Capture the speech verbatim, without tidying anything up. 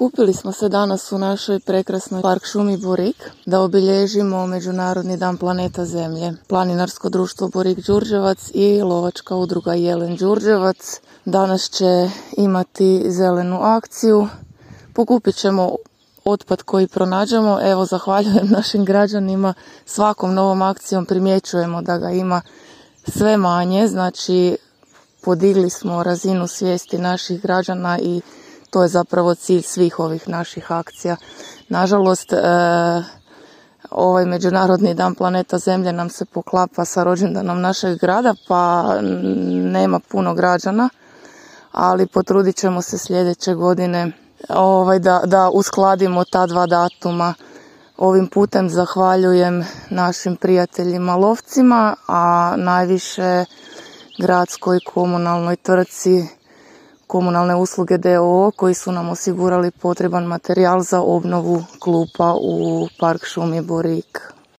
Okupili smo se danas u našoj prekrasnoj park šumi Borik da obilježimo Međunarodni dan planeta Zemlje. Planinarsko društvo Borik Đurđevac i lovačka udruga Jelen Đurđevac danas će imati zelenu akciju. Pokupit ćemo otpad koji pronađemo. Evo, zahvaljujem našim građanima. Svakom novom akcijom primjećujemo da ga ima sve manje. Znači, podigli smo razinu svijesti naših građana i to je zapravo cilj svih ovih naših akcija. Nažalost, e, ovaj Međunarodni dan planeta Zemlje nam se poklapa sa rođendanom našeg grada, pa nema puno građana, ali potrudit ćemo se sljedeće godine ovaj, da, da uskladimo ta dva datuma. Ovim putem zahvaljujem našim prijateljima lovcima, a najviše gradskoj komunalnoj tvrtci Komunalne usluge d o o koji su nam osigurali potreban materijal za obnovu klupa u park šumi Borik.